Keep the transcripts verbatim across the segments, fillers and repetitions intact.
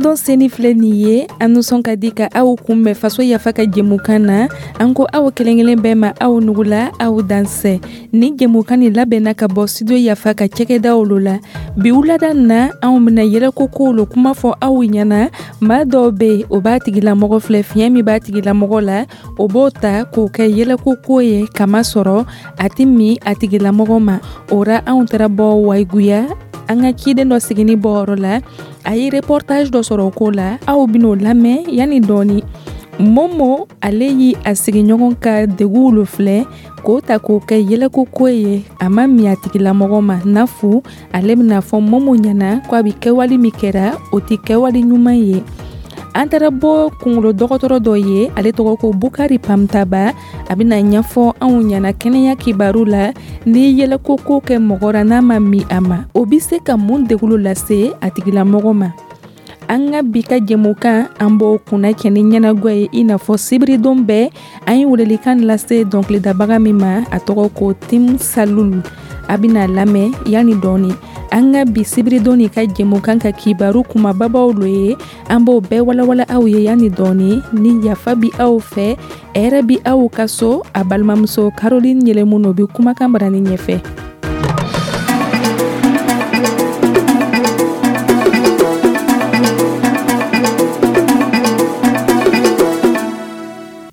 Sibiridon seni filɛ nin ye, an nisɔn ka di ka aw kunbɛn Faso Yafa ka jɛmukan na. An ko aw kelen kelen bɛɛ ma, aw nugula, aw dansɛ. Ni jɛmukan nin labɛnna ka bɔ Studio Yafa ka cɛkɛdaw lo la. Bi wulada na, anw bɛna yɛlɛko kow lo kuma fɔ aw ɲɛna. Maa dɔw bɛ yen, o b'a tigilamɔgɔ filɛ, fiɲɛ min b'a tigilamɔgɔ la, o b'o ta k'o kɛ yɛlɛko ko ye, kamasɔrɔ a tɛ min a tigilamɔgɔ ma. O ra, anw taara bɔ Wayiguya, an ka ciden dɔ sigini bɔyɔrɔ la, a ye reportage dɔ sɔrɔ o ko la. Aw ben'o lamɛn yanni dɔɔni. Momo, ale yi a sigiɲɔgɔn ka deguw lo filɛ k'o ta k'o kɛ yɛlɛko ko ye, a ma min a tigilamɔgɔ ma. Nafu ale bɛna fɔ Momo ɲɛna ko a bi kɛwale min kɛra, o tɛ kɛwale ɲuman ye. An taara bɔ kungolo dɔgɔtɔrɔ dɔ ye, ale tɔgɔ ko Bukari Pamtaba. A bɛna ɲɛfɔ anw ɲɛna kɛnɛya kibaru la, ni yɛlɛko ko kɛ mɔgɔ ra, n'a ma min a ma, o bɛ se ka mun degun lase a tigilamɔgɔ ma. An ka bi ka jɛmukan, an b'o kunna cɛ ni ɲɛnagwa ye, i n'a fɔ sibiridon bɛɛ. An ye welelikan lase dɔnkilidabaga min ma, a tɔgɔ ko Tim Salulu. A bɛna lamɛn yanni dɔɔni. An ka bi sibiridon nin ka jɛmukan ka kibaru kumababaw lo ye, an b'o bɛɛ walawala aw ye yanni dɔɔni. Ni yafa bi aw fɛ, hɛrɛ bi aw ka so. A balimamuso Caroline Yɛlɛmu bɛ kumakan barani ɲɛfɛ.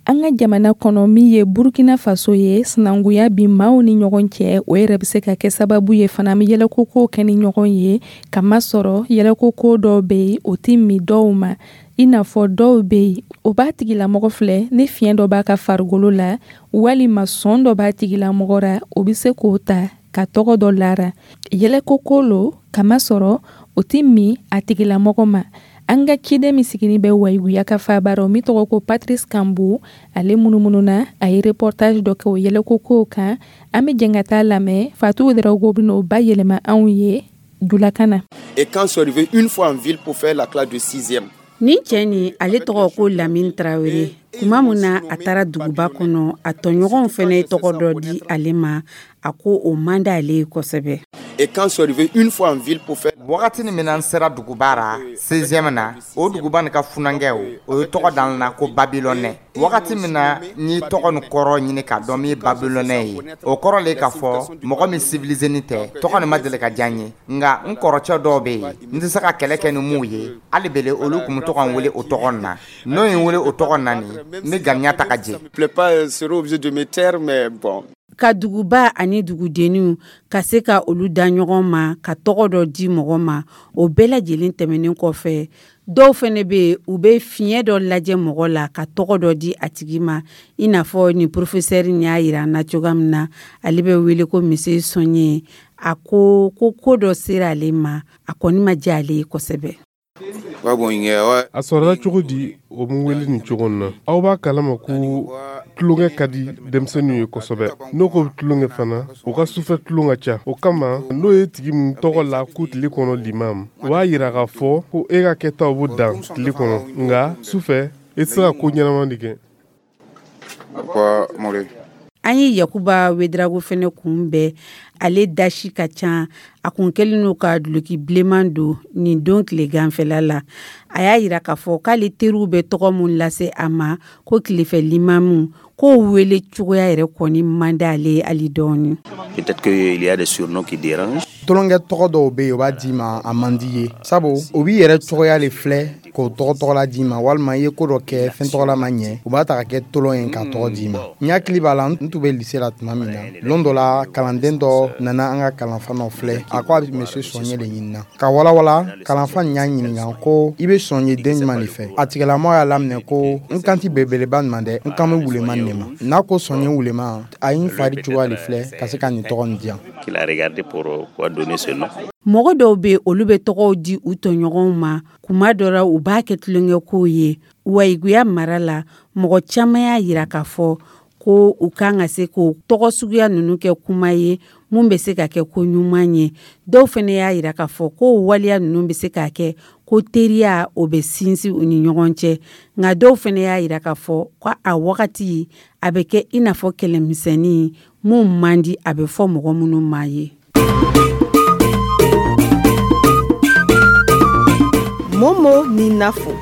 An ka jamana kɔnɔ min ye Burkina Faso ye, sinankunya bi maaw ni ɲɔgɔn cɛ, o yɛrɛ bɛ se ka kɛ sababu ye fana an bɛ yɛlɛkoko kɛ ni ɲɔgɔn ye, kamasɔrɔ yɛlɛkoko dɔw bɛ yen, o tɛ min dɔw ma. I n'a fɔ dɔw bɛ yen, o b'a tigilamɔgɔ filɛ, ni fiɲɛ dɔ b'a ka farikolo la walima sɔn dɔ b'a tigilamɔgɔ ra, o bɛ se k'o ta ka tɔgɔ dɔ lara. Yɛlɛkoko lo, kamasɔrɔ o tɛ min a tigilamɔgɔ ma. An ka ciden min sigini bɛ Wayiguya ka faaba rɔ, min tɔgɔ ko Patrice Kambu, ale munumununa, a ye reportage dɔ kɛ o yɛlɛkokow kan. An bɛ jɛn ka taa lamɛn. Fatou Ouedraogo bɛna o bayɛlɛma anw ye julakan na. Et quand je suis arrivé une fois en ville pour faire la classe de sixième. Nin cɛ nin, ale tɔgɔ ko Lamine Traoré. Tuma min na a taara duguba kɔnɔ, a tɔɲɔgɔnw fɛnɛ ye tɔgɔ dɔ di ale ma, a ko o man d'ale ye kosɛbɛ. Et quand je suis arrivé une fois en ville pour faire wagati min na n sera duguba ra sixième na, o duguba nin ka funankɛw, o ye tɔgɔ dan na ko Babilɔnɛ. Wagati min na n ye tɔgɔ nin kɔrɔ ɲini k'a dɔn min ye Babilɔnɛ ye, o kɔrɔ le k'a fɔ mɔgɔ min civilisé ni tɛ. Tɔgɔ nin ma deli ka diya n ye, nka n kɔrɔcɛ dɔw bɛ yen, n tɛ se ka kɛlɛ kɛ ni mun ye, hali bele olu tun bɛ to ka n wele o tɔgɔ nin na. N'o ye n wele o tɔgɔ na nin, n bɛ ganiya ta ka jɛ. Plaît pas, serait obligé de me taire, mais bon. Ka duguba ani dugudenninw ka se ka olu da ɲɔgɔn ma ka tɔgɔ dɔ di mɔgɔ ma, o bɛɛ lajɛlen tɛmɛnen kɔfɛ, dɔw fɛnɛ bɛ yen, u bɛ fiɲɛ dɔ lajɛ mɔgɔ la ka tɔgɔ dɔ di a tigi ma, i n'a fɔ nin professeur nin y'a yira an na cogoya min na. Ale bɛ wele ko Monsieur Sɔnye. A ko ko ko dɔ sera ale ma, a kɔni ma diya ale ye kosɛbɛ. A sɔrɔla cogo di o mun wele nin cogo na? Aw b'a kalama ko tulonkɛ ka di denmisɛnninw ye kosɛbɛ. N'o ko tulonkɛ fana, u ka sufɛ tulon ka ca. O kama, n'o ye tigi min tɔgɔ la ko tile kɔnɔ limam, o b'a yira k'a fɔ ko e ka kɛtaw b'o dan tile kɔnɔ, nka sufɛ e tɛ se ka ko ɲɛnama de kɛ. An ye Yakuba Ouedraogo fɛnɛ kunbɛn. Ale dasi ka ca, a kun kɛlen n'o ka duloki bilenman don nin don tileganfɛla la. A y'a yira k'a fɔ k'ale teriw bɛ tɔgɔ mun lase a ma ko tilefɛ limamu, k'o wele cogoya yɛrɛ kɔni man d'ale ye hali dɔɔni. Peut-être qu'il y a des surnoms qui dérangent. Tulonkɛ tɔgɔ dɔw bɛ yen, o b'a d'i ma, a man di ye, sabu o b'i yɛrɛ cogoya de filɛ k'o tɔgɔ tɔgɔla d'i ma, walima i ye ko dɔ kɛ fɛn tɔgɔla ma ɲɛ, u b'a ta ka kɛ tolon ye k'a tɔgɔ d'i ma. N hakili b'a la, n tun bɛ lycée la tuma min na, lon dɔ la, kalanden dɔ nana an ka kalanfa nɔ filɛ, a ko a bɛ monsieur Sɔnye de ɲinina ka walawala. Kalanfa nin y'a ɲininka ko i bɛ Sɔnye den jumɛn de fɛ? A tigilamɔgɔ y'a laminɛ ko n kan ti belebeleba nin ma dɛ, n kan bɛ wuleman de ma. N'a ko Sɔnye wuleman, a ye n fari cogoya de filɛ ka se ka nin tɔgɔ nin di yan. Qu'il a regardé pour quoi donner ce nom. Mɔgɔ dɔw bɛ, olu bɛ tɔgɔw di u tɔɲɔgɔnw ma, kuma dɔ la u b'a kɛ tulonkɛkow ye. Wayiguya mara la, mɔgɔ caman y'a yira k'a fɔ ko u kan ka se k'o tɔgɔ suguya ninnu kɛ kuma ye mun bɛ se ka kɛ ko ɲuman ye. Dɔw fɛnɛ y'a yira k'a fɔ ko waleya ninnu bɛ se k'a kɛ ko teriya o bɛ sinsin u ni ɲɔgɔn cɛ. Nka dɔw fɛnɛ y'a yira k'a fɔ ko a wagati a bɛ kɛ i n'a fɔ kɛlɛmisɛnnin mun man di a bɛ fɔ mɔgɔ minnu ma ye. Momo ni Nafo.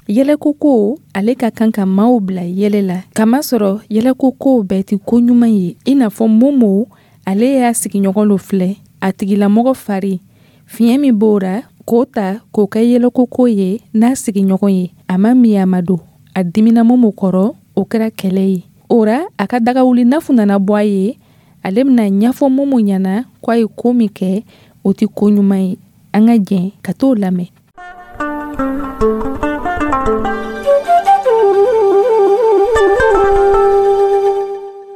Yɛlɛko ko ale ka kan ka maaw bila yɛlɛ la, kamasɔrɔ yɛlɛko kow bɛɛ tɛ ko ɲuman ye. I n'a fɔ Momo, ale y'a sigiɲɔgɔn lo filɛ, a tigilamɔgɔ fari fiɲɛ min b'o ra k'o ta k'o kɛ yɛlɛko ko ye n'a sigiɲɔgɔn ye. A ma min a ma don, a dimina Momo kɔrɔ, o kɛra kɛlɛ ye. O ra a ka dagawuli Nafu nana bɔ a ye, ale bɛna ɲɛfɔ Momo ɲɛna k'a ye ko min kɛ o tɛ ko ɲuman ye. An ka jɛn ka t'o lamɛn.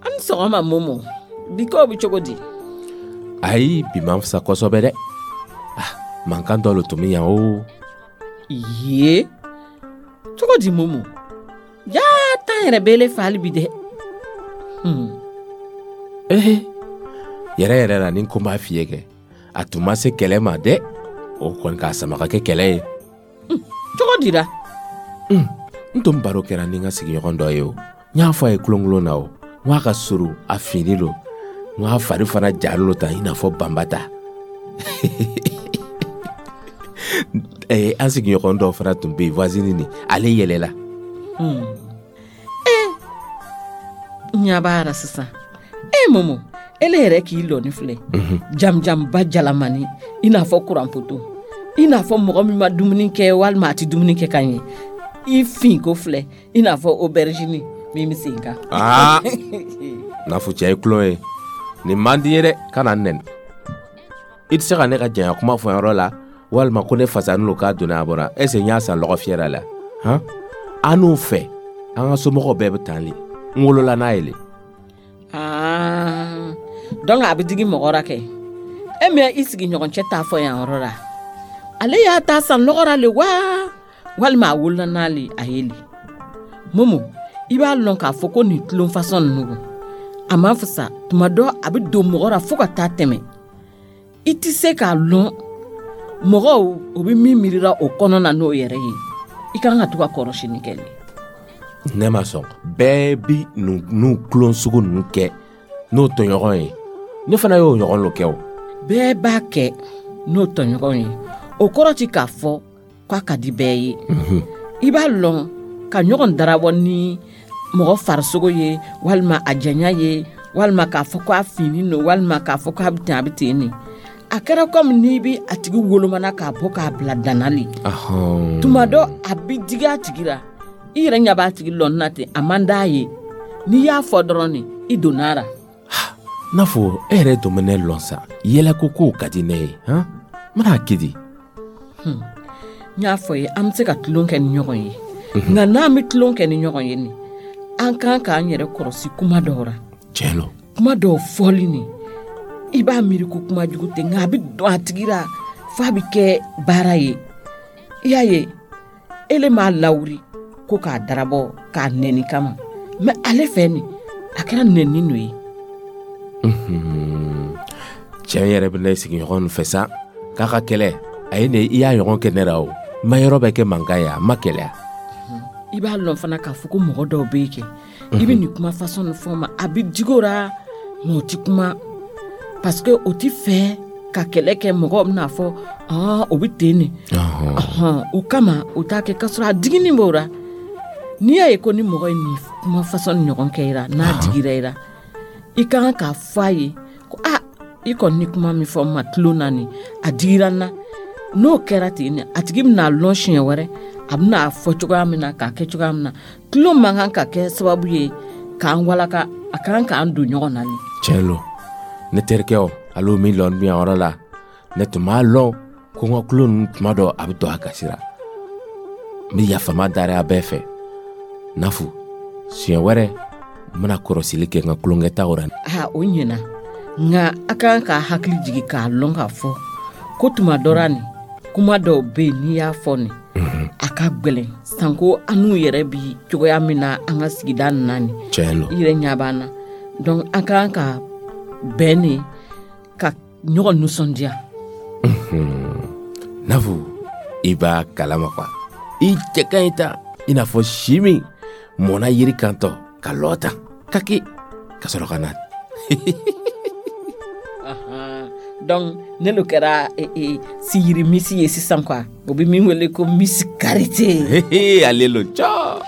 An ni sɔgɔma Momo, bi kow bɛ cogo di? Ayi, bi man fisa kosɛbɛ dɛ. Ah, mankan dɔ le tun bɛ yan o. Ye, cogo di Momo? Jaa, tan yɛrɛ b'ele fɛ hali bi dɛ. Hmm. Ee, yɛrɛ yɛrɛ la ni ko b'a f'i ye kɛ, a tun ma se kɛlɛ ma dɛ. O kɔni k'a sama ka kɛ kɛlɛ ye. Cogo di la? N tun baro kɛra ni n ka sigiɲɔgɔn dɔ ye o. N y'a fɔ a ye kulonkulon na o. N k'a ka surun, a finni lo. N k'a fari fana jalen lo tan i n'a fɔ banbata. Eh, an sigiɲɔgɔn dɔ fana tun bɛ yen, voisine ni, ale yɛlɛla. Hmm. Eh, n ɲɛ b'a la sisan. Eh Momo, ele yɛrɛ k'i lɔni filɛ. Jamujamba jalamani, i n'a fɔ kuranpoto. I n'a fɔ mɔgɔ min ma dumuni kɛ walima a tɛ dumuni kɛ ka ɲɛ. I fin ko filɛ, i n'a fɔ aubergine min bɛ sen kan. Aa, Nafu cɛ ye kulon ye. Nin man di n ye dɛ, kana n nɛni. I tɛ se ka ne ka janya kuma fɔ yɔrɔ la, walima ko ne fasanin lo k'a donna a bɔra. Est-ce que n y'a san lɔgɔ fiyɛra la? Han? An n'u fɛ, an ka somɔgɔw bɛɛ bɛ tan le. N wolola n'a ye le. Aa, donc a bɛ digi mɔgɔ la kɛ. E mɛ i sigiɲɔgɔn cɛ t'a fɔ yan yɔrɔ la. Ale y'a ta san lɔgɔ la le wa? Walima a wolola n'ale a ye le. Momo, i b'a lɔn k'a fɔ ko nin tulon fasɔn ninnu, a ma fisa. Tuma dɔ a bɛ don mɔgɔ la fo ka taa tɛmɛ. I tɛ se k'a lɔn mɔgɔw o bɛ min miirila o kɔnɔ na n'o yɛrɛ ye. I kan ka to ka kɔrɔsini kɛ le. Ne ma sɔn. Bɛɛ bi n'u tulon sugu ninnu kɛ n'o tɔɲɔgɔn ye. Ne fana y'o ɲɔgɔn lo kɛ o. Bɛɛ b'a kɛ n'o tɔɲɔgɔn ye. O kɔrɔ ti k'a fɔ k'a ka di bɛɛ ye. I b'a lɔn ka ɲɔgɔn darabɔ ni mɔgɔ farisogo ye, walima a janya ye, walima k'a fɔ k'a finni don, walima k'a fɔ k'a bɛ ten a bɛ ten nin. A kɛra komi n'i bɛ a tigi wolomana k'a bɔ k'a bila danna le. Tuma dɔ a bɛ digi a tigi la. I yɛrɛ ɲɛ b'a tigi lɔnni na ten, a man d'a ye. N'i y'a fɔ dɔrɔn nin, i donna a la. N'a fɔ e yɛrɛ tun bɛ ne lɔn sa, yɛlɛko kow ka di ne ye, han? N bɛna kɛ di? N y'a fɔ ye, an bɛ se ka tulon kɛ ni ɲɔgɔn ye. Nka n'an bɛ tulon kɛ ni ɲɔgɔn ye nin, an kan k'an yɛrɛ kɔlɔsi kuma dɔw la. Tiɲɛ lo. Kuma dɔw fɔli nin, i b'a miiri ko kuma jugu tɛ, nka a bɛ don a tigi la f'a bɛ kɛ baara ye. I y'a ye, ele m'a lawuri ko k'a darabɔ k'a nɛni kama, mɛ ale fɛ nin, a kɛra nɛni nɔ ye. Cɛ yɛrɛ bɛ ne sigiɲɔgɔn fɛ sa, k'a ka kɛlɛ, a ye ne i y'a ɲɔgɔn kɛ ne la o. N ma yɔrɔ bɛɛ kɛ mankan ye, a ma kɛlɛya. I b'a lɔn fana k'a fɔ ko mɔgɔ dɔw bɛ yen kɛ, i bɛ nin kuma fasɔn nin fɔ ma, a bɛ digi o la, mɛ o ti kuma. Parce que o ti fɛ ka kɛlɛ kɛ, mɔgɔw bɛna fɔ ɔn o bɛ ten nin. O kama o t'a kɛ, k'a sɔrɔ a diginin b'o la. N'i y'a ye ko ni mɔgɔ ye nin kuma fasɔn nin ɲɔgɔn kɛ i la, n'a digira i la, i ka kan k'a fɔ a ye ko a i kɔni ni kuma min fɔ n ma tulon na nin, a digira n na. N'o kɛra ten nin, a tigi bɛna lɔn siɲɛ wɛrɛ, a bɛna fɔ cogoya min na, k'a kɛ cogoya min na. Tulon man kan ka kɛ sababu ye k'an walaka, a kan k'an don ɲɔgɔn na nin. Tiɲɛ lo. Ne terikɛ o, ale min lɔn bi yan yɔrɔ la, ne tun b'a lɔn ko n ka tulon ninnu tuma dɔ a bɛ don a gasi la. N bɛ yafama dari a bɛɛ fɛ. Nafu, siɲɛ wɛrɛ n bɛna kɔrɔsili kɛ n ka tulonkɛtaw la. Aa, o ɲɛna. Nka a kan k'a hakili jigin k'a lɔn k'a fɔ ko tuma dɔ la nin, kuma dɔw bɛ yen n'i y'a fɔ nin, a ka gɛlɛn sanko an n'u yɛrɛ bi cogoya min na an ka sigida nin na nin. Tiɲɛ lo. I yɛrɛ ɲɛ b'an na. Donc an kan ka bɛn nin, ka ɲɔgɔn nisɔndiya. Nafu, i b'a kalama quoi. I cɛ ka ɲi ta, i n'a fɔ si min mɔnna yiri kantɔ ka lɔ ta kaki ka sɔrɔ ka na. Donc ne lo kɛra eh, eh, siyiri misi ye sisan quoi, o bɛ min wele ko Miss Karité. Ale lo cɔ.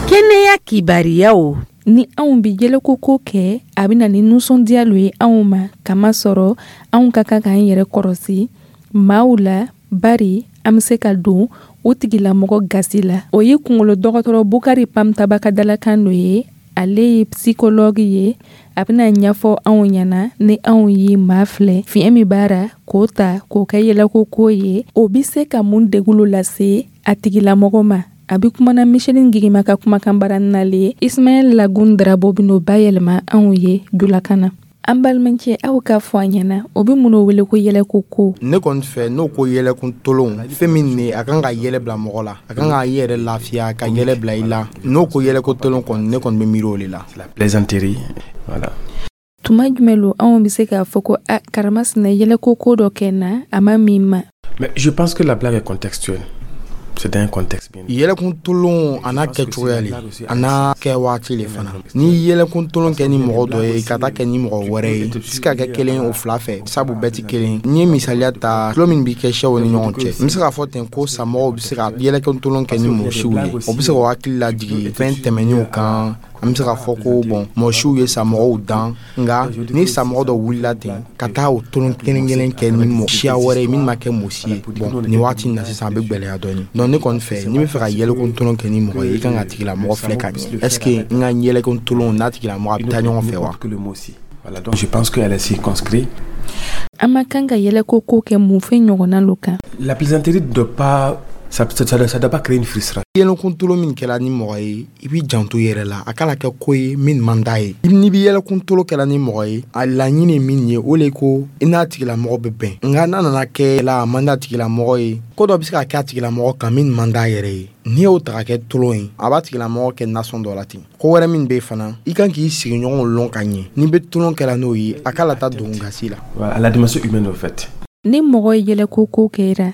Kɛnɛya kibariyaw. Ni anw bi yɛlɛko ko kɛ, a bɛ na ni nisɔndiya lo ye anw ma, kamasɔrɔ anw ka kan k'an yɛrɛ kɔrɔsi maaw la, bari an bɛ se ka don o tigilamɔgɔ gasi la. O ye kunkolo dɔgɔtɔrɔ Bukari Pamtaba ka dalakan dɔ ye. Ale ye psychologue ye. A bɛna ɲɛfɔ anw ɲɛna ni anw ye maa filɛ fiɲɛ min b'a ra k'o ta k'o kɛ yɛlɛko ko ye, o bɛ se ka mun degun lase a tigilamɔgɔ ma. A bɛ kumana Micheline Gigima ka kumakan baara le ye. Ismaël Lagun Darabo bɛn'o bayɛlɛma anw ye julakan na. An balimacɛ, aw k'a fɔ an ɲɛna, o bɛ mun wele ko yɛlɛko ko? Ne kɔni fɛ, n'o ko yɛlɛkun tolon, fɛn min ne a kan ka yɛlɛ bila mɔgɔ la, a kan k'a yɛrɛ lafiya, ka yɛlɛ bila i la. N'o ko yɛlɛko tolon kɔni, ne kɔni bɛ miiri o de la. La plaisanterie, voilà. Tuma jumɛn lo anw bɛ se k'a fɔ ko a karamasina yɛlɛko ko dɔ kɛ n na, a ma min ma? Mais je pense que la blague est contextuelle. C'est un contexte bien. Yɛlɛkun tolon a n'a kɛcogoya le, a n'a kɛ waati le fana. Ni yɛlɛkun tolon kɛ ni mɔgɔ dɔ ye ka taa kɛ ni mɔgɔ wɛrɛ ye, se ka kɛ kelen o fila fɛ, sabu bɛɛ ti kelen. N'i ye misaliya ta, tulon min bi kɛ sɛw ni ɲɔgɔn cɛ, n bɛ se k'a fɔ ten ko samɔgɔw bɛ se ka yɛlɛkun tolon kɛ ni mɔgɔ siw ye. O bɛ se k'o hakili lajigin fɛn tɛmɛnenw kan. An bɛ se k'a fɔ ko bɔn, mɔgɔ siw ye samɔgɔw dan, nka ni samɔgɔ dɔ wulila ten ka taa o tolon kelen kelen kɛ ni mɔgɔ siya wɛrɛ ye min ma kɛ mɔgɔ si ye, bɔn nin waati in na sisan a bɛ gɛlɛya dɔɔnin. Donc ne kɔni fɛ, n'i bɛ fɛ ka yɛlɛkun tolon kɛ ni mɔgɔ ye, i kan ka tigilamɔgɔ filɛ ka ɲɛ. Est ce que n ka yɛlɛkun tolon n'a tigilamɔgɔ a bɛ taa ɲɔgɔn fɛ wa? Voilà, donc je pense qu'elle est circonscrite. An ma kan ka yɛlɛko ko kɛ mun fɛn ɲɔgɔnna lo kan? La plaisanterie ne doit pas, ça, ça, ça, ça doit pas créer une frustration. Yɛlɛkun tolon min kɛla ni mɔgɔ ye, i b'i janto i yɛrɛ la, a kana kɛ ko ye min man d'a ye. N'i bɛ yɛlɛkun tolon kɛla ni mɔgɔ ye, a laɲini ye min ye, o le ko i n'a tigilamɔgɔ bɛ bɛn. Nka n'a nana kɛ la a man d'a tigilamɔgɔ ye, ko dɔ bɛ se ka kɛ a tigilamɔgɔ kan min man d'a yɛrɛ ye. N'i y'o ta ka kɛ tolon ye, a b'a tigilamɔgɔ kɛ nasɔn dɔ la ten. Ko wɛrɛ min bɛ yen fana, i kan k'i sigiɲɔgɔnw lɔn ka ɲɛ. N'i bɛ tolon kɛla n'o ye, a kana taa don gasi la. Voilà, la dimension humaine au fait. Ni mɔgɔ ye yɛlɛko ko kɛra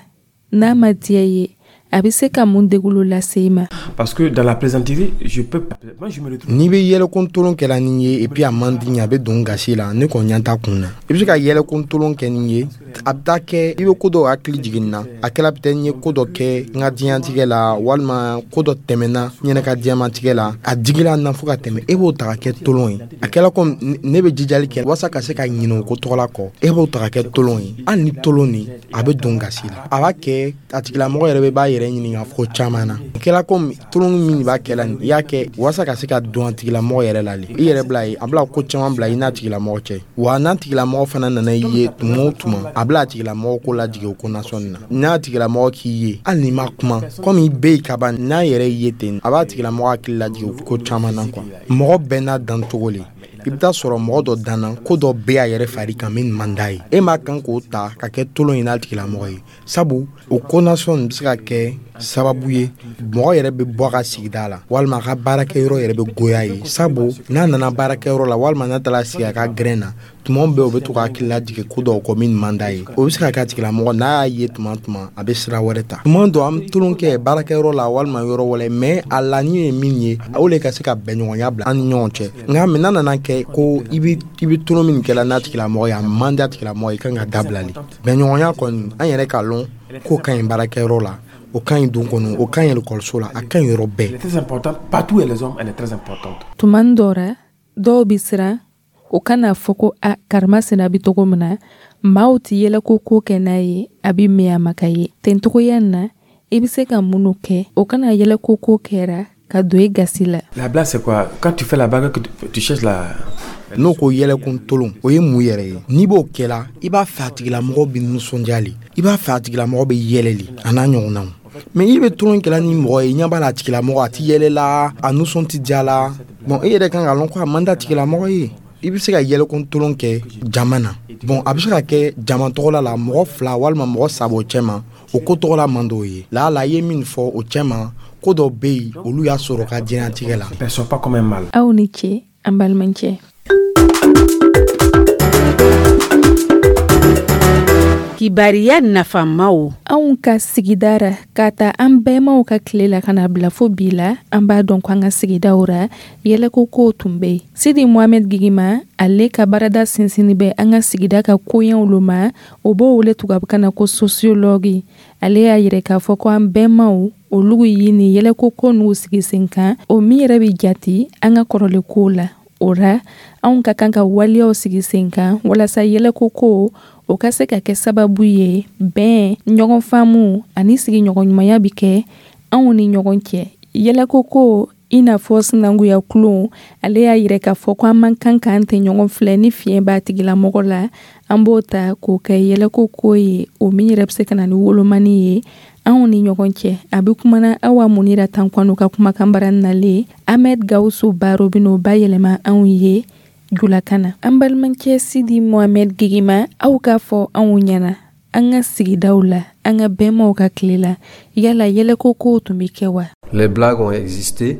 n'a ma diya i ye, a bɛ se ka mun degun lase i ma? Parce que dans la plaisanterie, je peux, moi je me retrouve. N'i bɛ yɛlɛkun tolon kɛla ni ye, et puis a man di n ye, a bɛ don gasi la, ne kɔni ɲɛ t'a kun na. I bɛ se ka yɛlɛkun tolon kɛ ni ye, a bɛ taa kɛ i bɛ ko dɔw hakili jigin na. A kɛla peut-être n ye ko dɔ kɛ n ka diɲɛlatigɛ la, walima ko dɔ tɛmɛna n yɛrɛ ka diɲɛlatigɛ la, a digila n na fo ka tɛmɛ, e b'o ta ka kɛ tolon ye. A kɛla komi ne bɛ jijali kɛ walasa ka se ka ɲinɛ o ko tɔgɔ la kɔ, e b'o ta ka kɛ tolon ye. Hali ni tolon nin, a bɛ don gasi la. A b'a kɛ a tigilamɔgɔ yɛrɛ bɛ b'a yɛrɛ ɲininka ko caman na. A kɛla komi tolon min b'a kɛ la nin, i y'a kɛ walasa ka se ka don a tigilamɔgɔ yɛrɛ la le. I yɛrɛ bila ye, a bila ko caman bila i n'a tigilamɔgɔ cɛ. Wa n'a tigilamɔgɔ fana nana i ye tuma o tuma, a bila a tigilamɔgɔ ko lajigin o ko nasɔnni na. N'a tigilamɔgɔ k'i ye, hali n'i ma kuma, komi i bɛ yen ka ban, n'a yɛrɛ y'i ye ten, a b'a tigilamɔgɔ hakili lajigin o ko caman na quoi. Mɔgɔ bɛɛ n'a dancogo le. I bɛ taa sɔrɔ mɔgɔ dɔ danna ko dɔ bɛ a yɛrɛ fari kan min man d'a ye, e m'a kan k'o ta ka kɛ tolon ye n'a tigilamɔgɔ ye, sabu o ko nasɔn bɛ se ka kɛ sababu ye mɔgɔ yɛrɛ bɛ bɔ a ka sigida la, walima a ka baarakɛyɔrɔ yɛrɛ bɛ goya ye, sabu n'a nana baarakɛyɔrɔ la, walima n'a taara sigi a ka gɛrɛn na, tuma bɛɛ o bɛ to k'a hakili lajigin ko dɔw kɔ min man d'a ye. O bɛ se ka kɛ a tigilamɔgɔ n'a y'a ye tuma tuma, a bɛ sira wɛrɛ ta. Tuma dɔ an bɛ tolon kɛ baarakɛyɔrɔ la walima yɔrɔ wɛrɛ, mais a laɲini ye min ye, o le ka se ka bɛnɲɔgɔnya bila an ni ɲɔgɔn cɛ. Nka mais n'a nana kɛ ko i bɛ i bɛ tolon min kɛla n'a tigilamɔgɔ ye, a man di a tigilamɔgɔ ye, i kan ka dabila le. Bɛnɲɔgɔnya kɔni, an yɛrɛ k'a lɔn k'o ka ɲi baarakɛyɔrɔ la, o ka ɲi don kɔnɔ, o ka ɲi ekɔliso la, a ka ɲi yɔrɔ bɛɛ. Elle est très importante partout où les hommes, elle est très importante. Tuma dɔ la, dɔw bɛ siran o kana fɔ ko a karimasina bɛ cogo min na, maaw tɛ yɛlɛko ko kɛ n'a ye, a bɛ min a ma ka ye. Ten cogoya in na, i bɛ se ka minnu kɛ, o kana yɛlɛko ko kɛra ka don i gasi la. La blague, c'est quoi? Quand tu fais la blague, que tu, tu cherches la. N'o ko yɛlɛkun tolon, o ye mun yɛrɛ ye? N'i b'o kɛla, i b'a fɛ a tigilamɔgɔ bɛ nisɔndiya le, i b'a fɛ a tigilamɔgɔ bɛ yɛlɛ le, a n'a ɲɔgɔnnaw. Mais i bɛ tolon kɛla ni mɔgɔ ye, i ɲɛ b'a la a tigilamɔgɔ a ti yɛlɛ la, a nisɔn ti diya la. Bon, e yɛrɛ kan k'a lɔn ko a man di a tigilamɔgɔ ye. I bɛ se ka yɛlɛkun tolon kɛ jama na. Bon, a bɛ se ka kɛ jama tɔgɔla la, mɔgɔ fila walima mɔgɔ saba o cɛ ma, o ko tɔgɔla man d'o ye. Lala i ye min fɔ o cɛ ma, ko dɔ bɛ yen olu y'a sɔrɔ ka diɲɛlatigɛ la. Perçois pas comme un mal. Aw ni ce, an balimacɛ. Kibariya nafamaw. Anw ka sigida ra, k'a ta an bɛɛmaw ka tile la ka na bila fo bi la, an b'a dɔn ko an ka sigidaw ra, yɛlɛko kow tun bɛ yen. Sidi Mohamed Gigima, ale ka baarada sinsinni bɛ an ka sigida ka koɲɛw lo ma, o b'o wele tubabukan na ko sociologue. Ale y'a yira k'a fɔ ko an bɛɛmaw olu ye nin yɛlɛko ko n'u sigi sen kan, o min yɛrɛ bɛ jati an ka kɔrɔlen kow la. O ra, anw ka kan ka waleyaw sigi sen kan walasa yɛlɛko ko o ka se ka kɛ sababu ye bɛn, ɲɔgɔn faamu ani sigiɲɔgɔnɲumanya bɛ kɛ anw ni ɲɔgɔn cɛ. Yɛlɛko ko i n'a fɔ sinankunya kulon, ale y'a yira k'a fɔ ko an man kan k'an tɛ ɲɔgɔn filɛ ni fiɲɛ b'a tigilamɔgɔ la, an b'o ta k'o kɛ yɛlɛko ko ye, o min yɛrɛ bɛ se ka na ni wolomani ye anw ni ɲɔgɔn cɛ. A bɛ kumana Awa Munira Tankwano ka kumakan bara nalen. Ahmed Gawusu Baro bɛn'o bayɛlɛma anw ye julakan na. An balimakɛ Sidi Mohamed Gigima, aw k'a fɔ anw ɲɛna, an ka sigidaw la, an ka bɛnmaw ka tile la, yala yɛlɛko kow tun bɛ kɛ wa? Les blagues ont existé,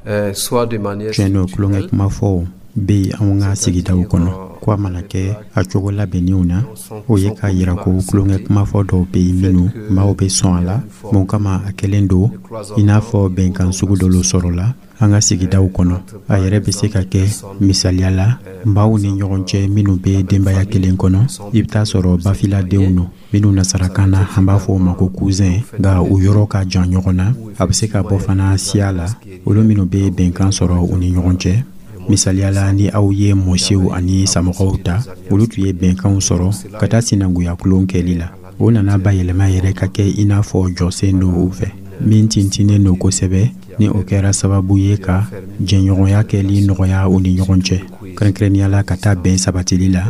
euh, soit de manière Tiɲɛ don, tulonkɛ kumafɔw bɛ yen anw ka sigidaw kɔnɔ. Ko a mana kɛ a cogo labɛnnenw na, o ye k'a yira ko tulonkɛ kumafɔ dɔw bɛ yen minnu maaw bɛ sɔn a la. Mun kama a kɛlen don i n'a fɔ bɛnkan sugu dɔ sɔrɔla an ka sigidaw kɔnɔ. A yɛrɛ bɛ se ka kɛ, misaliya la, maaw ni ɲɔgɔn cɛ minnu bɛ denbaya kelen kɔnɔ, i bɛ taa sɔrɔ bafiladenw don, minnu nasarakan na an b'a fɔ o ma ko cousin, nka u yɔrɔ ka jan ɲɔgɔn na. A bɛ se ka bɔ fana siya la, olu minnu bɛ bɛnkan sɔrɔ u ni ɲɔgɔn cɛ. Misaliya la, ni aw ye mɔsiw ani samɔgɔw ta, olu tun ye bɛnkanw sɔrɔ ka taa sinankunya kulon kɛli la. O nana bayɛlɛma yɛrɛ ka kɛ i n'a fɔ jɔsen don u fɛ min tintinnen don kosɛbɛ, ni o kɛra sababu ye ka jɛɲɔgɔnya kɛli nɔgɔya u ni ɲɔgɔn cɛ, kɛrɛnkɛrɛnnenya la ka taa bɛn sabatili la,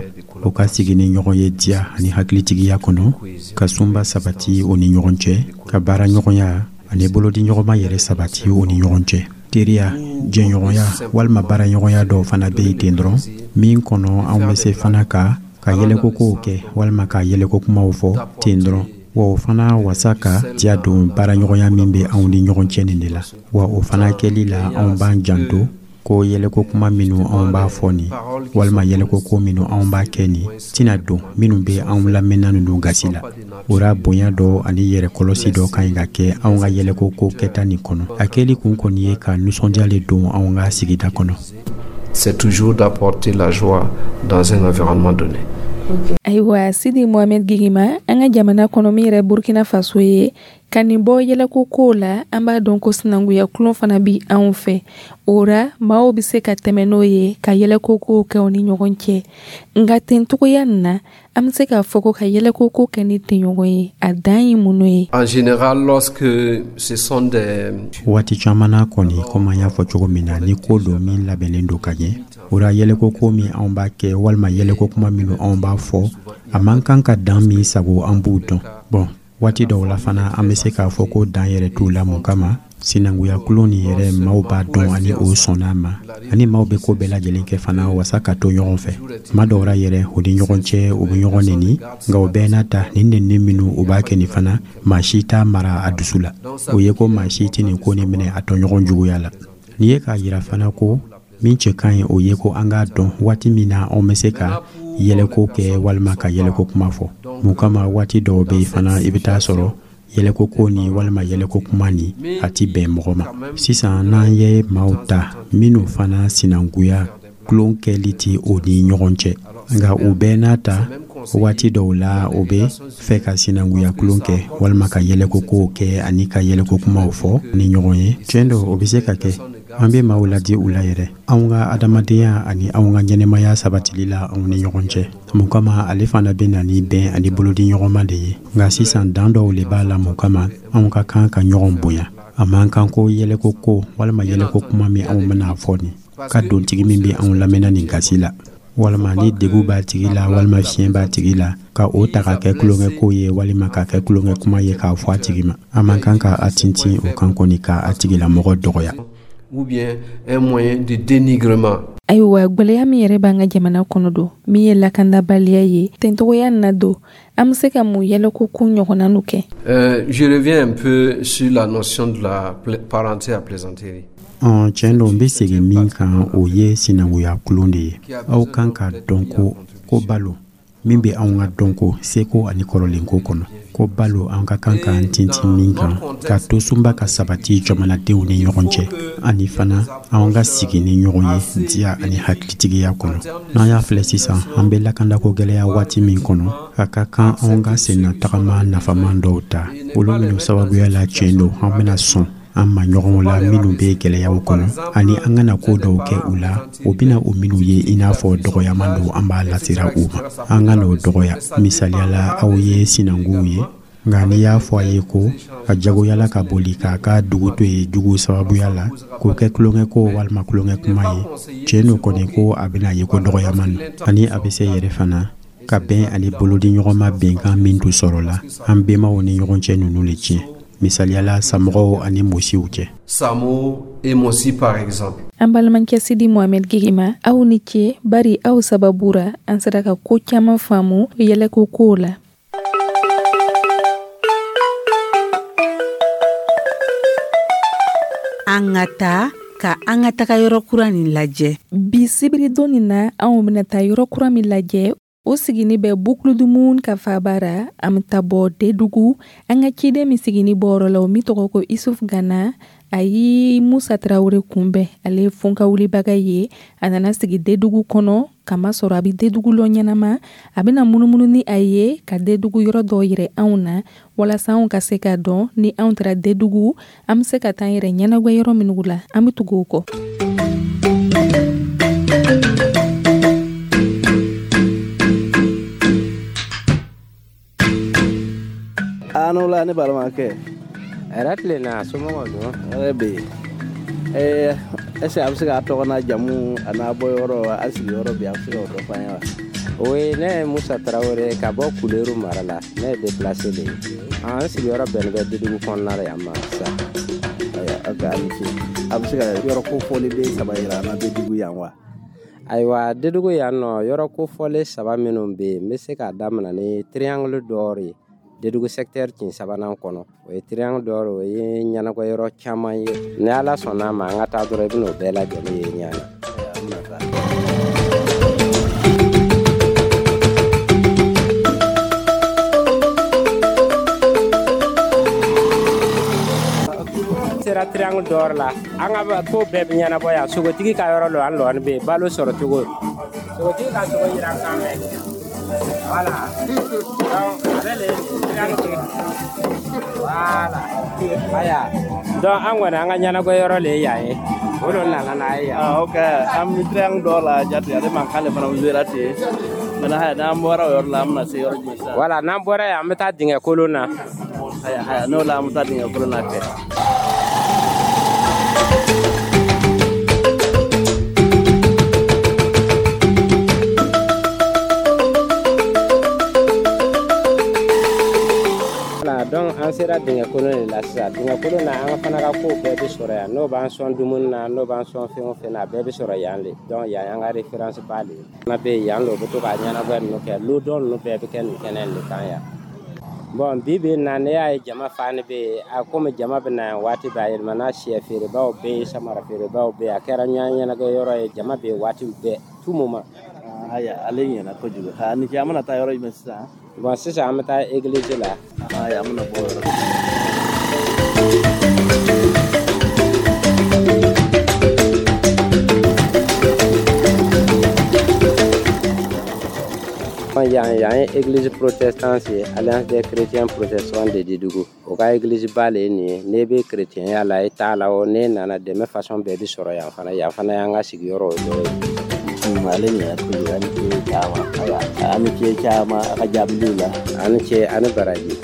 o ka sigi ni ɲɔgɔn ye diya ani hakilitigiya kɔnɔ, ka sunba sabati u ni ɲɔgɔn cɛ, ka baara ɲɔgɔnya ani bolodiɲɔgɔnma yɛrɛ sabati u ni ɲɔgɔn cɛ. Teriya, jɛɲɔgɔnya walima baaraɲɔgɔnya dɔw fana bɛ yen ten dɔrɔn, min kɔnɔ anw bɛ se fana ka ka yɛlɛkokow kɛ walima ka yɛlɛko kumaw fɔ ten dɔrɔn, wa o fana wasa ka diya don baaraɲɔgɔnya min bɛ anw ni ɲɔgɔn cɛ nin de la. Wa o fana kɛli la, anw b'an janto ko yɛlɛko kuma minnu anw b'a fɔ nin walima yɛlɛko ko minnu anw b'a kɛ nin tɛna don minnu bɛ anw lamɛnna ninnu gasi la. O ra, bonya dɔ ani yɛrɛ kɔlɔsi dɔ ka ɲi ka kɛ anw ka yɛlɛko ko kɛta nin kɔnɔ. A kɛli kun kɔni ye ka nisɔndiya le don anw ka sigida kɔnɔ. C'est toujours d'apporter la joie dans un environnement donné. Ayiwa, Sidi Mohamed Gigima, an ka jamana kɔnɔ min yɛrɛ Burkina Faso ye, ka nin bɔ yɛlɛko kow la, an b'a dɔn ko sinankunya kulon fana bi anw fɛ. O ra, maaw bɛ se ka tɛmɛ n'o ye ka yɛlɛko kow kɛ u ni ɲɔgɔn cɛ. Nka ten togoya nin na, an bɛ se k'a fɔ ko ka yɛlɛko ko kɛ ni tɛɲɔgɔn ye, a dan ye mun ye? En général, lorsque ce sont des Waati caman na kɔni, komi an y'a fɔ cogo min na, ni ko don min labɛnnen don ka ɲɛ, o ra yɛlɛko ko min anw b'a kɛ walima yɛlɛko kuma minnu anw b'a fɔ, a man kan ka dan min sago, an b'u dɔn. Bɔn, waati dɔw la fana, an bɛ se k'a fɔ ko dan yɛrɛ t'u la. Mun kama sinankunya kulon nin yɛrɛ, maaw b'a dɔn ani o sɔnna ma, ani maaw bɛ ko bɛɛ lajɛlen kɛ fana wasa ka to ɲɔgɔn fɛ. Tuma dɔw la yɛrɛ, u ni ɲɔgɔn cɛ, u bɛ ɲɔgɔn neni, nka o bɛɛ n'a ta, nin nenni minnu u b'a kɛ nin fana, maa si t'a mara a dusu la. O ye ko maa si tɛ nin ko nin minɛ a tɔɲɔgɔn juguya la. N'i ye k'a yira fana ko min cɛ ka ɲi, o ye ko an k'a dɔn waati min na anw bɛ se ka yɛlɛko kɛ walima ka yɛlɛko kuma fɔ. Mun kama waati dɔw bɛ yen fana, i bɛ taa sɔrɔ yɛlɛko ko ni walima yɛlɛko kuma ni a ti bɛn mɔgɔ ma. Sisan, n'an ye maaw ta minnu fana sinankunya tulon kɛli ti o ni ɲɔgɔn cɛ, nka u bɛɛ n'a ta, waati dɔw la o bɛ fɛ ka sinankunya tulon kɛ walima ka yɛlɛko kow kɛ ani ka yɛlɛko kumaw fɔ ni ɲɔgɔn ye, tiɲɛ don, o bɛ se ka kɛ. An bɛ maaw ladi u la yɛrɛ anw ka adamadenya ani anw ka ɲɛnɛmaya sabatili la anw ni ɲɔgɔn cɛ. Mun kama ale fana bɛ na ni bɛn ani bolodi ɲɔgɔnma de ye. Nka sisan, dan dɔw le b'a la. Mun kama anw ka kan ka ɲɔgɔn bonya, a man kan ko yɛlɛko ko walima yɛlɛko kuma min anw bɛna fɔ nin ka dontigi min bɛ anw lamɛnna nin gasi la, walima ni degu b'a tigi la walima fiɲɛ b'a tigi la, ka o ta ka kɛ tulonkɛko ye walima ka kɛ tulonkɛ kuma ye k'a fɔ a tigi ma, an man kan ka a tintin o kan kɔni ka a tigilamɔgɔ dɔgɔya. Ou bien un moyen de dénigrement. Ayiwa, gwɛlɛya min yɛrɛ b'an ka jamana kɔnɔ don, min ye lakandabaliya ye, tentogoya na don, an be se ka mun yɛlɛko ko ɲɔgɔnna nu kɛ? Euh, je reviens un peu sur la notion de la parenté à plaisanterie. Tiɲɛ don, n bɛ segin min kan, o ye sinankunya kulon de ye. Aw kan ka dɔn ko ko balo min bɛ anw ka dɔnko, seko ani kɔrɔlenko kɔnɔ, ko balo an ka kan k'an tintin min kan ka tosunba ka sabati jamanadenw ni ɲɔgɔn cɛ, ani fana an ka sigi ni ɲɔgɔn ye diya ani hakilitigiya kɔnɔ. N'an y'a filɛ sisan, an bɛ lakandako gɛlɛya waati min kɔnɔ, a ka kan anw ka senna tagama nafaman dɔw ta, olu minnu sababuya la tiɲɛ don an bɛna sɔn an ma ɲɔgɔnw la minnu bɛ gɛlɛyaw kɔnɔ, ani an kana ko dɔw kɛ u la o bɛna o minnu ye i n'a fɔ dɔgɔyaman don an b'a lasira u ma, an ka n'o dɔgɔya. Misaliya la, aw ye sinankunw ye, nka n'i y'a fɔ a ye ko a jagoyala ka boli k'a ka dugu to yen jugu sababuya la, k'o kɛ tulonkɛko walima tulonkɛ kuma ye, tiɲɛ don kɔni ko a bɛna ye ko dɔgɔyaman don, ani a bɛ se yɛrɛ fana ka bɛn ani bolodiɲɔgɔnma bɛnkan min tun sɔrɔla an bɛnbaw ni ɲɔgɔn cɛ ninnu le tiɲɛ, misaliyala samɔgɔw ani mosiw cɛ. Samo et Mossi par exemple. An balimakɛ Sidi Mohamed Gigima, aw ni ce, bari aw sababu ra an sera ka ko caman faamu yɛlɛko kow la. An ka taa ka an ka taga yɔrɔ kura nin lajɛ. Bi sibiridon nin na, anw bɛna taa yɔrɔ kura min lajɛ, o sigini bɛ Boucle du Mouhoun ka faaba ra. An bɛ taa bɔ Dedugu. An ka ciden min sigini bɔyɔrɔ la, o min tɔgɔ ko Isuf Gana, a ye Musa Tarawele kunbɛn. Ale ye fonka wulibaga ye. A nana sigi Dedugu kɔnɔ, kamasɔrɔ a bɛ Dedugu lɔ ɲɛnama. A bɛna munumunu ni a ye ka Dedugu yɔrɔ dɔw yirɛ anw na, walasa anw ka se k'a dɔn ni anw taara Dedugu, an bɛ se ka taa an yɛrɛ ɲɛnagwɛ yɔrɔ minnu la. An bɛ tugu o kɔ. Anola ne balimakɛ. Hɛrɛ tilenna, somɔgɔw dun? Hɛrɛ bɛ yen. Ɛɛ est-ce que a bɛ se k'a tɔgɔ n'a jamu a n'a bɔyɔrɔ a sigiyɔrɔ bi, a bɛ se k'o dɔ f'an ye wa? Oui, ne ye Musa Tarawele ka bɔ Kuleru mara la, ne ye déplacé de ye. An sigiyɔrɔ bɛnnen bɛ Dedugu kɔnɔna la yan ma sisan. Ayiwa, ok, a ni ce. A bɛ se ka yɔrɔ kofɔlen saba yira an na Dedugu yan wa? Ayiwa, Dedugu yan nɔ, yɔrɔ kofɔlen saba minnu bɛ yen, n bɛ se k'a daminɛ ni triangle d'or ye. Dedugu secteur kin sabanan kɔnɔ, o ye triangle d'or, o ye ɲɛnagwɛ yɔrɔ caman ye. Ni Ala sɔnna a ma, an ka taa dɔrɔn, i bɛn'o bɛɛ lajɛlen ye ɲɛ na. Sera triangle d'or la, an ka ko bɛɛ bɛ ɲɛnabɔ yan. Sogotigi ka yɔrɔ lo, an lɔni bɛ yen, balo sɔrɔ cogo. Sogotigi ka sogo yira kan mɛn. Voilà. Donc, ale le triangle. Voilà. Aya. Donc, an kɔni an ka ɲɛnagwɛ yɔrɔ le ye yan ye. O de nana n'a ye yan. Ah, ok. An bɛ triangle d'or la jate, ale mankan de fana bɛ wele ten. Maintenant, haya, n'an bɔra o yɔrɔ la, an bɛna se yɔrɔ jumɛn sisan? Voilà, n'an bɔra yan, an bɛ taa dingɛ kolon na. Haya, haya, n'o la an bɛ taa dingɛ kolon na kɛ. Donc an sera dingɛ kolon de la sisan. Dingɛ kolon na, an fana ka kow bɛɛ bɛ sɔrɔ yan. N'o b'an sɔn dumuni na, n'o b'an sɔn fɛn o fɛn na, a bɛɛ bɛ sɔrɔ yan de. Donc yan y'an ka référence ba de ye. Fana bɛ yen, yan de u bɛ to ka ɲɛnagwɛ ninnu kɛ. Lodɔn ninnu bɛɛ bɛ kɛ nin kɛnɛ in de kan yan. Bon, bi bi in na, ne y'a ye jama fani bɛ yen. A komi jama bɛ na yan waati bɛɛ, a yɛlɛmana, sɛ feerebaw bɛ yen, samara feerebaw bɛ yen. A kɛra ɲɛnagwɛ yɔrɔ ye, jama bɛ yen waati bɛɛ, tout moment. Haya, ale ɲɛna kojugu. Ha, ni ce, an bɛna taa yɔrɔ jumɛn sisan? Bon, sisan an bɛ taa église la. Haya, an bɛna bɔ o yɔrɔ. Yan yan ye église protestante ye, Alliance des chrétiens protestants de Dédougou. O ka église ba le ye nin ye. N'e bɛ chrétien la, i t'a la o, n'e nana dɛmɛ façon bɛɛ bɛ sɔrɔ yan fana. Yan fana y'an ka sigiyɔrɔ dɔ ye. Ale ɲɛna kojugu, a ni ce caman. Ayiwa, a ni ce caman a ka jaabiliw la. A ni ce, a ni baraji.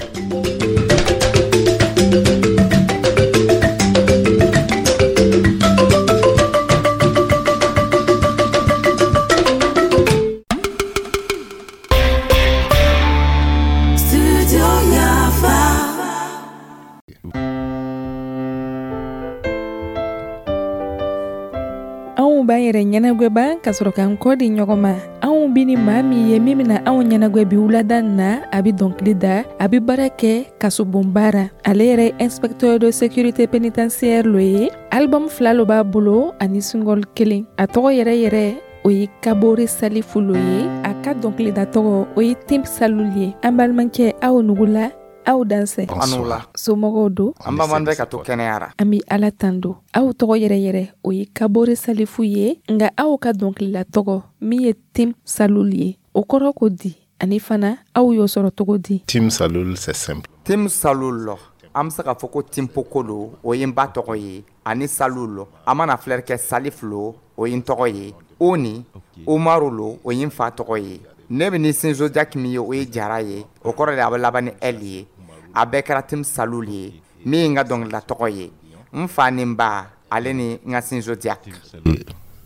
Anw b'an yɛrɛ ɲɛnagwɛba ka sɔrɔ k'an kɔ di ɲɔgɔn ma. Anw bi ni maa min ye min bɛna anw ɲɛnagwɛ bi wulada nin na, a bɛ dɔnkili da, a bɛ baara kɛ kasobonba ra. Ale yɛrɛ ye inspecteur de sécurité pénitentiaire lo ye. Album fila lo b'a bolo ani single kelen. A tɔgɔ yɛrɛ yɛrɛ o ye Kabore Salifu lo ye. A ka dɔnkilida tɔgɔ, o ye Tim Salul ye. An balimakɛ, aw nugula, aw dansɛ. An somɔgɔw don? An b'an bɛ ka to kɛnɛyara. An bɛ Ala tando. Aw tɔgɔ yɛrɛ yɛrɛ, o ye Kabore Salifu ye, nka aw ka dɔnkilila tɔgɔ min ye Tim Salul ye, o kɔrɔ ko di? Ani fana, aw y'o sɔrɔ cogo di? Tim Salul, c'est simple. Tim Salul lɔ, an bɛ se k'a fɔ ko Timpoko lo, o ye n ba tɔgɔ ye, ani Salul, an mana filɛri kɛ Salif lo, o ye n tɔgɔ ye, o ni Umaru lo, o ye n fa tɔgɔ ye. Ne bɛ ni signe zodiaque min ye, o ye jara ye, o kɔrɔ de a bɛ laban ni L ye. A bɛɛ kɛra Tim Salul ye, min ye n ka dɔnkilida tɔgɔ ye, n fa ni n ba, ale ni n ka signe zodiaque.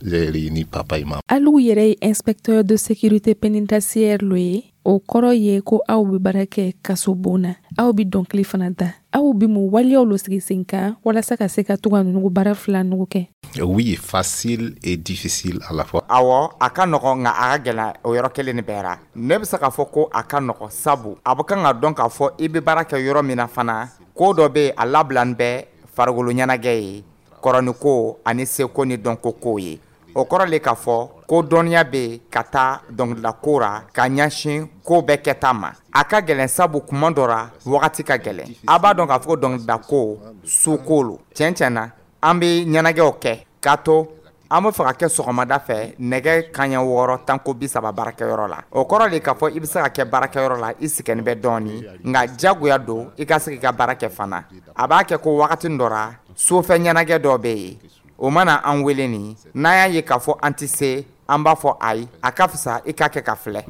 J'ai réuni papa et maman. Alu yɛrɛ ye inspecteur de sécurité pénitentiaire lo ye. O kɔrɔ ye ko aw bɛ baara kɛ kaso bon na, aw bɛ dɔnkili fana da. Aw bɛ mun waleyaw lo sigi sen kan walasa ka se ka to ka nugu baara fila nugu kɛ? Oui, facile et difficile à la fois. Awɔ, a ka nɔgɔ, nka a ka gɛlɛn o yɔrɔ kelen ni bɛɛ ra. Ne bɛ se k'a fɔ ko a ka nɔgɔ, sabu a bɛ kan ka dɔn k'a fɔ i bɛ baara kɛ yɔrɔ min na fana, ko dɔ bɛ yen, a labilani bɛ farikolo ɲɛnajɛ ye, kɔrɔniko ani seko ni dɔnko kow ye. O kɔrɔ le k'a fɔ ko dɔnniya bɛ yen ka taa dɔnkilida ko ra ka ɲɛsin ko bɛɛ kɛta ma. A ka gɛlɛn, sabu kuma dɔ ra, wagati ka gɛlɛn. A b'a dɔn k'a fɔ ko dɔnkilida ko su ko lo. Tiɲɛ tiɲɛ na, an bɛ ɲɛnajɛw kɛ k'a to an bɛ fɛ ka kɛ sɔgɔmada fɛ nɛgɛ kanɲɛ wɔɔrɔ tanko bi saba baarakɛyɔrɔ la. O kɔrɔ de k'a fɔ i bɛ se ka kɛ baarakɛyɔrɔ la, i sɛgɛnnen bɛ dɔɔni, nka jagoya don i ka se k'i ka baara kɛ fana. A b'a kɛ ko wagati dɔ ra, sofɛ ɲɛnajɛ dɔ bɛ yen, o mana an wele nin, n'an y'a ye k'a fɔ an tɛ se, an b'a fɔ ayi, a ka fisa i k'a kɛ ka filɛ.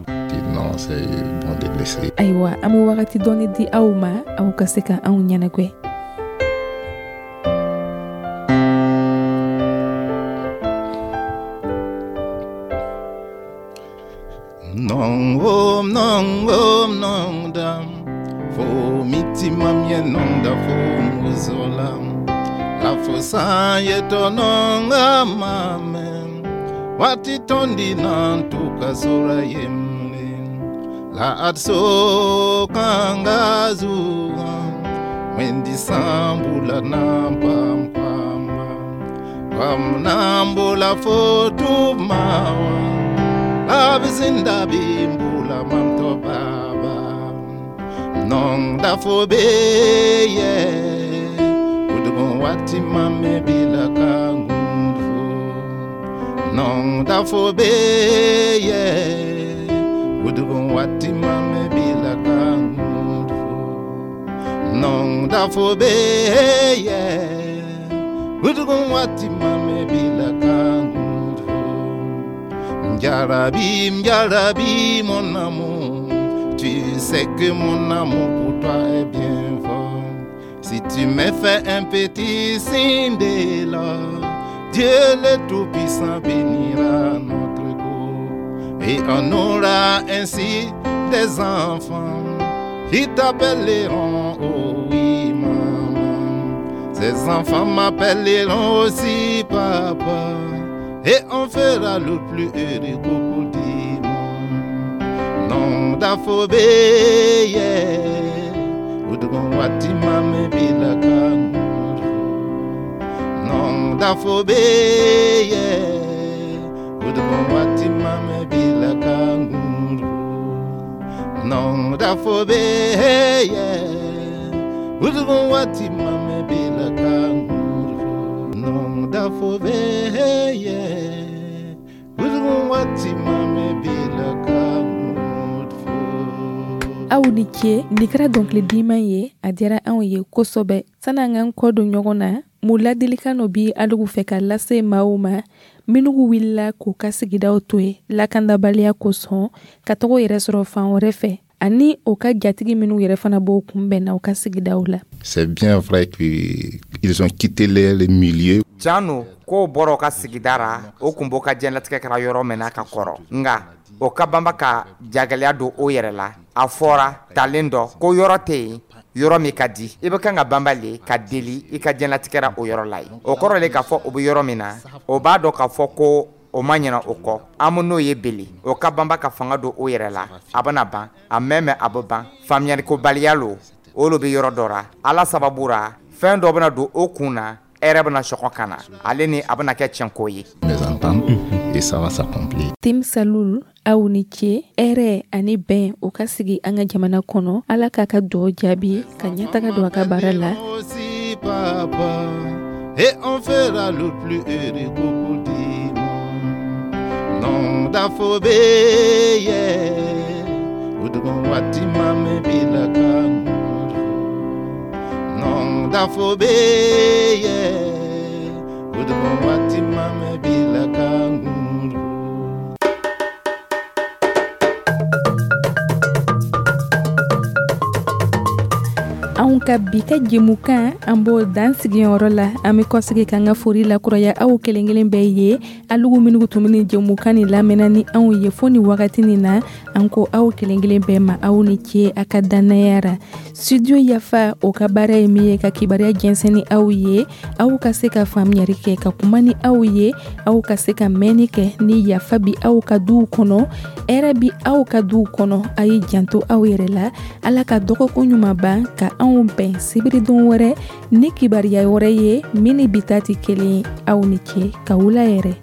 Non, c'est bon de laisser. Ayiwa, an bɛ wagati dɔɔni di aw ma, aw ka se ka anw ɲɛnagwɛ. Non om non om non dam fo miti mamie non da fo muzolam la fo san yeto non amame wati tondi nan tuka sora yemle la atso kangazu wendi sambula na pam pam pam nambula fo tu mawa abizinda bimbula mamto baba non da fo be ye udugo wati mame bila kangufo non da fo be ye udugo wati mame bila kangufo non da fo be ye udugo wati mame bila kangufo. Mjarabi, Mjarabi, mon amour, tu sais que mon amour pour toi est bien fort. Si tu me fais un petit signe de là, Dieu le Tout-Puissant bénira notre cour. Et on aura ainsi des enfants qui t'appelleront, oh oui, maman. Ces enfants m'appelleront aussi papa. Et on fera le plus heureux couple du monde. Non d'afobé, udugon wati mame bila kanguru. Non d'afobé, udugon wati mame bila kanguru. Non d'afobé, udugon wati mame bila kanguru. Non d'afobé, udugon wati mame bila kanguru. Aw ni ce, nin kɛra dɔnkili diman ye, a diyara anw ye kosɛbɛ. San'an k'an kɔ don ɲɔgɔn na, mun ladilikan dɔ bi alugu fɛ ka lase maaw ma minnu wulila k'u ka sigidaw to yen lakandabaliya kosɔn ka taga yɛrɛ sɔrɔ fan wɛrɛ fɛ, ani o ka jatigi minnu yɛrɛ fana b'o kunbɛn na u ka sigidaw la? C'est bien vrai qu'ils ont quitté les milieux. Tiɲɛ k'o bɔra o ka sigida ra, o kun b'o ka diɲɛlatigɛ kɛra yɔrɔ min na ka kɔrɔ, nka o ka banba ka jagɛlɛya don o yɛrɛ la. A fɔra talen dɔ ko yɔrɔ tɛ yen yɔrɔ min ka di, i bɛ kan ka banba le ka deli i ka diɲɛlatigɛ o yɔrɔ la yen. O kɔrɔ le k'a fɔ o bɛ yɔrɔ min na, o b'a dɔn k'a fɔ ko o ma ɲinɛ o kɔ. An bɛ n'o ye beli, o ka banba ka fanga don o yɛrɛ la, a bɛna ban, a mɛn mɛn a bɛ ban. Faamuyalikobaliya lo, o lo bɛ yɔrɔ dɔ ra. Ala sababu ra, fɛn dɔ bɛna don o kun na. Hɛrɛ bɛna sɔgɔ ka na, ale ni a bɛna kɛ tiɲɛko ye. Mes ententes, et ça va s'accomplir. Tim Salul, aw ni ce. Hɛrɛ ani bɛn, o ka sigi an ka jamana kɔnɔ. Ala k'a ka dugawu jaabi ka ɲɛtaga don a ka baara la. Aussi, papa, et on fera le plus heureux couple du monde. Non d'Afobé, yeah. Udugon wati mame bila kanguru. Non d'Afobé, yeah. Udugon wati mame bila kanguru. Anw ka bi ka jɛmukan, an b'o dan sigiyɔrɔ la. An bɛ kɔsegi k'an ka foli lakuraya aw kelen kelen bɛɛ ye, alugu minnu tun bɛ nin jɛmukan nin lamɛnna ni anw ye fo nin wagati nin na. An ko aw kelen kelen bɛɛ ma, aw ni ce a ka dannaya ra. Studio Yafa, o ka baara ye min ye ka kibaruya jɛnsɛn ni aw ye, aw ka se ka faamuyali kɛ, ka kuma ni aw ye, aw ka se ka mɛnni kɛ ni yafa bi aw ka duw kɔnɔ, hɛrɛ bi aw ka duw kɔnɔ. A ye janto aw yɛrɛ la. Ala ka dɔgɔkun ɲuman ban ka anw bɛn sibiridon wɛrɛ ni kibaruya wɛrɛ ye min ni bi ta tɛ kelen ye. Aw ni ce, ka wula yɛrɛ.